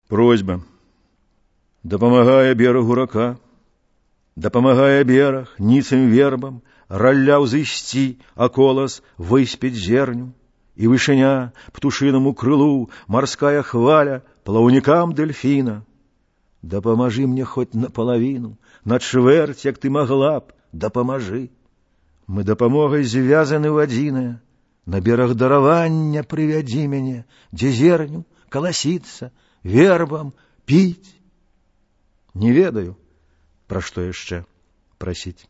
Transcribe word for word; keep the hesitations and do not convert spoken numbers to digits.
Просьба. Дапамагае берагу рака, дапамагае бераг ніцым вербам, ралля ўзысці, а колас выспець зерню, і вышыня птушынаму крылу марская хваля плаўнікам дельфіна. Дапамажы мне хоць напалавіну, на чвэрць, як ты магла б, дапамажы. Мы дапамогай звязаны ў адзінае, на бераг даравання прывядзі мяне, дзе зерню каласіцца, вербам піць. Не ведаю, пра што яшчэ прасіць.